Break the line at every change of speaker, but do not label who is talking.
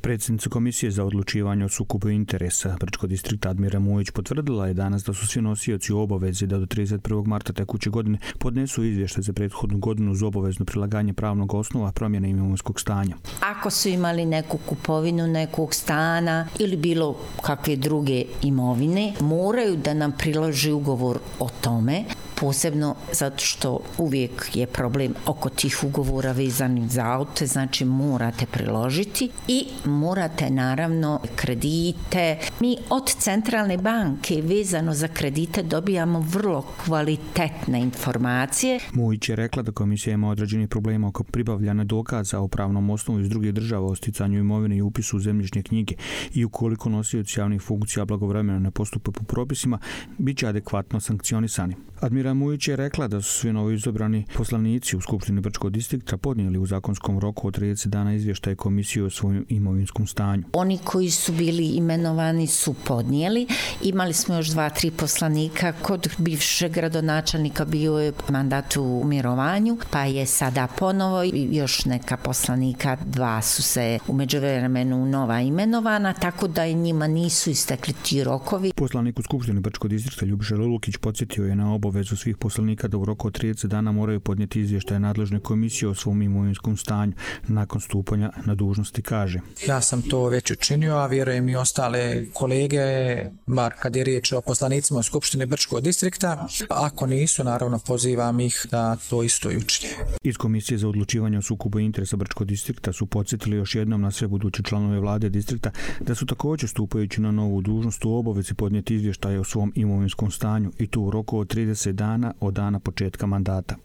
Predsjednica Komisije za odlučivanje o sukobu interesa Brčkog distrikta Admira Mujić potvrdila je danas da su svi nosioci u obavezi da do 31. marta tekuće godine podnesu izvještaj za prethodnu godinu uz obavezno prilaganje pravnog osnova promjene imovinskog stanja.
Ako su imali neku kupovinu nekog stana ili bilo kakve druge imovine, moraju da nam priloži ugovor o tome, posebno zato što uvijek je problem oko tih ugovora vezanih za aute, znači morate priložiti i morate naravno kredite. Mi od centralne banke vezano za kredite dobijamo vrlo kvalitetne informacije.
Mujić je rekla da komisija ima određenih problema oko pribavljanja dokaza o pravnom osnovu iz drugih država o sticanju imovine i upisu u zemljišne knjige i ukoliko nosioci javnih funkcija blagovremeno ne postupe po propisima, bit će adekvatno sankcionisani. Admira Mujić je rekla da su svi novoizabrani poslanici u Skupštini Brčkog distrikta podnijeli u zakonskom roku od 30 dana izvještaj komisije o svojom imovinskom stanju.
Oni koji su bili imenovani su podnijeli. Imali smo još 2-3 poslanika. Kod bivšeg gradonačelnika bio je mandat u mirovanju, pa je sada ponovo još neka poslanika, 2 su se u međuvremenu nova imenovana, tako da i njima nisu istekli ti rokovi.
Poslanik u Skupštini Brčkog distrikta Ljubiša Lulukić podsjetio je na obavezu svih poslanika da u roku od 30 dana moraju podnijeti izvještaj nadležne komisije o svom imovinskom stanju nakon stupanja na dužnosti, kaže.
Ja sam to već učinio, a vjerujem i ostale kolege, bar kad je riječ o poslanicima u Skupštini Brčkog distrikta. Ako nisu, naravno pozivam ih da to isto i učine.
Iz Komisije za odlučivanje o sukobu interesa Brčkog distrikta su podsjetili još jednom na sve buduće članove vlade distrikta da su također stupajući na novu dužnost u obavezi podnijeti izvještaje o svom imovinskom stanju i to u roku od 30 dana od dana početka mandata.